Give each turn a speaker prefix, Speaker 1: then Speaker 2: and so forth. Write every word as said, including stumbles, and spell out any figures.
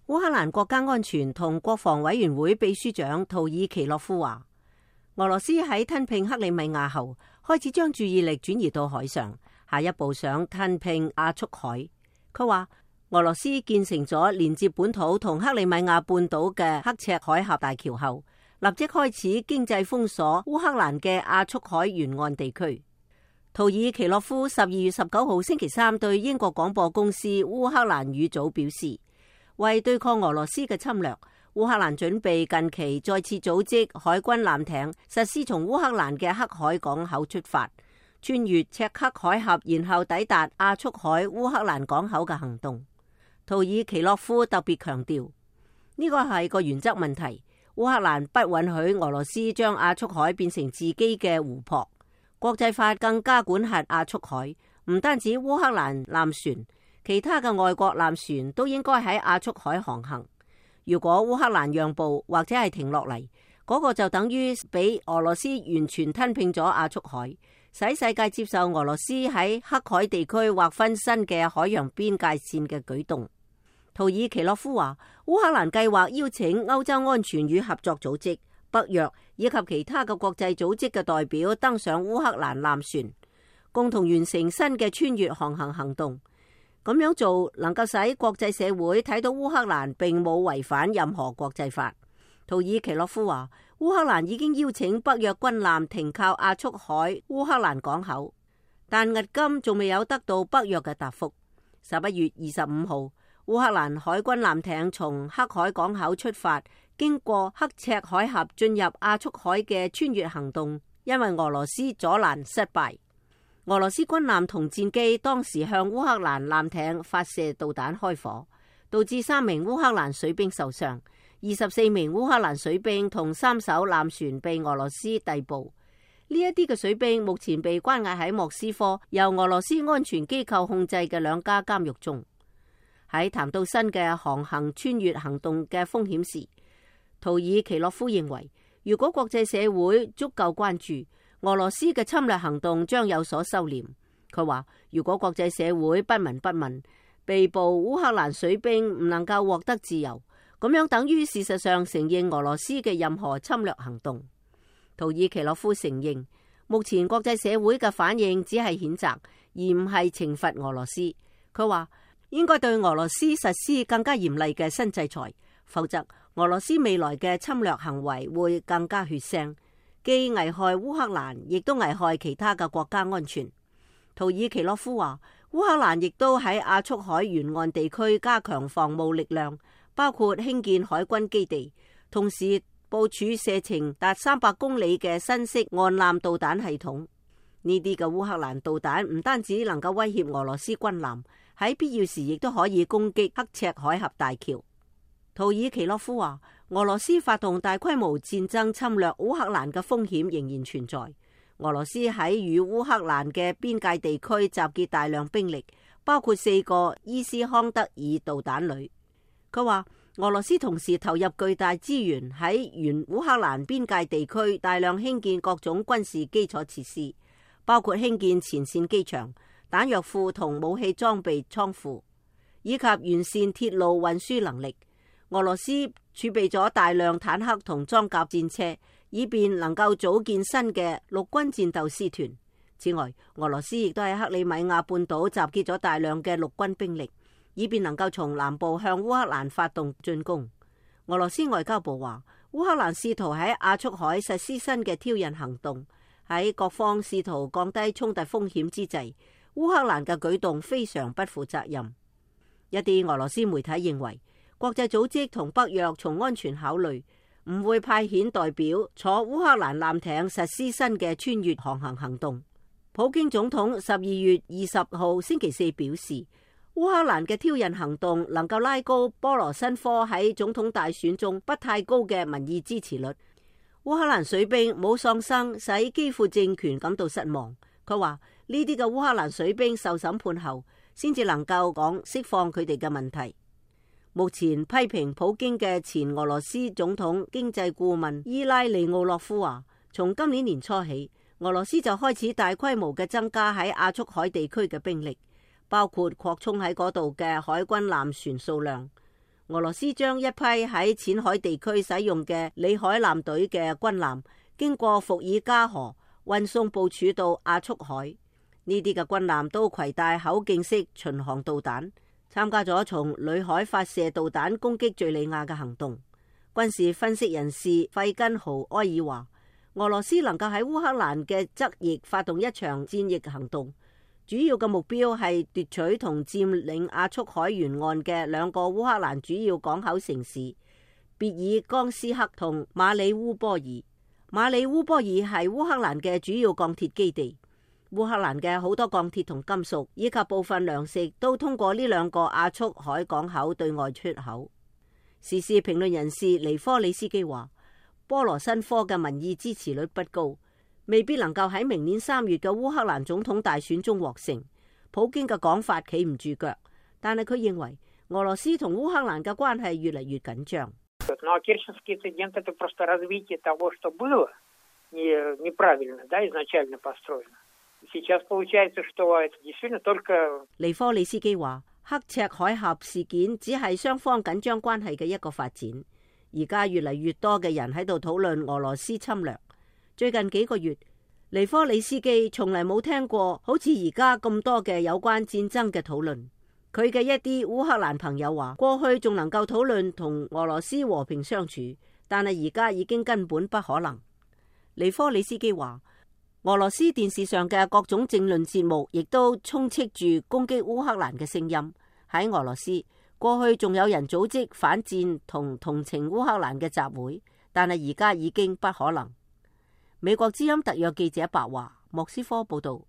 Speaker 1: 烏克蘭國家安全同國防委員會秘書長圖爾奇洛夫話，俄羅斯喺吞併克里米亞後，開始將注意力轉移到海上，下一步想吞併亞速海。佢話俄羅斯建成咗連接本土同克里米亞半島嘅刻赤海峽大橋後，立即開始經濟封鎖烏克蘭嘅亞速海沿岸地區。圖爾奇洛夫十二月十九號星期三對英國廣播公司烏克蘭語組表示，為對抗俄羅斯嘅侵略，烏克蘭準備近期再次組織海軍艦艇，實施從烏克蘭嘅黑海港口出發，穿越赤克海峽，然後抵達亞速海烏克蘭港口嘅行動。圖爾奇洛夫特別強調，呢個係個原則問題，烏克蘭不允許俄羅斯將亞速海變成自己嘅湖泊。國際法更加管轄亞速海，唔單止烏克蘭艦船，其他嘅外國艦船都應該喺亞速海航行。如果烏克蘭讓步或者係停落嚟，嗰個就等於俾俄羅斯完全吞併咗亞速海，使世界接受俄羅斯喺黑海地區劃分新嘅海洋邊界線嘅舉動。圖爾奇洛夫話，烏克蘭計劃邀請歐洲安全與合作組織、北約以及其他嘅國際組織嘅代表登上烏克蘭艦船，共同完成新嘅穿越航行行動。咁樣做能夠使國際社會睇到烏克蘭並冇違反任何國際法。圖爾奇洛夫話，烏克蘭已經邀請北約軍艦停靠亞速海烏克蘭港口，但迄今仲未有得到北約嘅答覆。十一月二十五號，烏克蘭海軍艦艇從黑海港口出發，經過刻赤海峽進入亞速海嘅穿越行動，因為俄羅斯阻攔失敗。俄羅斯軍艦同戰機當時向烏克蘭艦艇發射導彈開火，導致三名烏克蘭水兵受傷，二十四名烏克蘭水兵同三艘艦船被俄羅斯逮捕。呢一啲嘅水兵目前被關押喺莫斯科由俄羅斯安全機構控制嘅兩家監獄中。喺談到新嘅航行穿越行動嘅風險時，圖爾奇洛夫認為，如果國際社會足夠關注，俄羅斯嘅侵略行動將有所收斂。佢話，如果國際社會不聞不問，被捕烏克蘭水兵唔能夠獲得自由，咁樣等於事實上承認俄羅斯嘅任何侵略行動。圖爾奇洛夫承認，目前國際社會嘅反應只係譴責，而唔係懲罰俄羅斯。佢話，應該對俄羅斯實施更加嚴厲嘅新制裁，否則俄羅斯未來嘅侵略行為會更加血腥，既危害烏克蘭，亦都危害其他嘅國家安全。圖爾奇洛夫話，烏克蘭亦都喺亞速海沿岸地區加強防務力量，包括興建海軍基地，同時部署射程達三百公里嘅新式岸艦導彈系統。呢啲嘅烏克蘭導彈唔單止能夠威脅俄羅斯軍艦，喺必要時亦都可以攻擊刻赤海峽大橋。圖爾奇洛夫話，俄羅斯發動大規模戰爭侵略烏克蘭嘅風險仍然存在。俄羅斯喺與烏克蘭嘅邊界地區集結大量兵力，包括四個伊斯康德爾導彈旅。佢話，俄羅斯同時投入巨大資源喺沿烏克蘭邊界地區大量興建各種軍事基礎設施，包括興建前線機場、彈藥庫同武器裝備倉庫，以及完善鐵路運輸能力。俄羅斯儲備咗大量坦克同裝甲戰車，以便能夠組建新嘅陸軍戰鬥師團。此外，俄羅斯亦都喺克里米亞半島集結咗大量嘅陸軍兵力，以便能夠從南部向烏克蘭發動進攻。俄羅斯外交部話，烏克蘭試圖喺亞速海實施新嘅挑釁行動，喺各方試圖降低衝突風險之際，烏克蘭嘅舉動非常不負責任。一啲俄羅斯媒體認為，國際組織同北約從安全考慮，唔會派遣代表坐烏克蘭艦艇實施新嘅穿越航行行動。普京總統十二月二十號星期四表示，烏克蘭嘅挑釁行動能夠拉高波羅申科喺總統大選中不太高嘅民意支持率。烏克蘭水兵冇喪生，使基輔政權感到失望。佢話呢啲嘅烏克蘭水兵受審判後，先至能夠講釋放佢哋嘅問題。目前批評普京嘅前俄羅斯總統經濟顧問伊拉利奧洛夫話，從今年年初起，俄羅斯就開始大規模嘅增加喺亞速海地區嘅兵力，包括擴充喺嗰度嘅海軍艦船數量。俄羅斯將一批喺淺海地區使用嘅里海艦隊嘅軍艦經過伏爾加河運送部署到亞速海。呢啲嘅軍艦都攜帶口徑式巡航導彈，參加咗從裏海發射導彈攻擊敘利亞嘅行動。軍事分析人士費根豪埃爾話，俄羅斯能夠喺烏克蘭嘅側翼發動一場戰役行動，主要嘅目標係奪取同佔領亞速海沿岸嘅兩個烏克蘭主要港口城市別爾江斯克同馬里烏波爾。馬里烏波爾係烏克蘭嘅主要鋼鐵基地，烏克蘭嘅好多鋼鐵同金屬以及部分糧食都通過呢兩個亞速海港口對外出口。時事評論人士尼科里斯基話，波羅申科嘅民意支持率不高，未必能夠喺明年三月嘅烏克蘭總統大選中獲勝。普京嘅講法企唔住腳，但係佢認為俄羅斯同烏克蘭嘅關係越嚟越緊張。尼科里斯基話，刻赤海峽事件只係雙方緊張關係嘅一個發展，而家越嚟越多嘅人喺度討論俄羅斯侵略。最近幾個月，尼科里斯基從嚟冇聽過好似而家咁多嘅有關戰爭嘅討論。佢嘅一啲烏克蘭朋友話，過去仲能夠討論同俄羅斯和平相處，但係而家已經根本不可能。尼科里斯基話，俄羅斯電視上嘅各種政論節目亦都充斥住攻擊烏克蘭嘅聲音。喺俄羅斯，過去仲有人組織反戰同同情烏克蘭嘅集會，但係而家已經不可能。美國之音特約記者白華，莫斯科報道。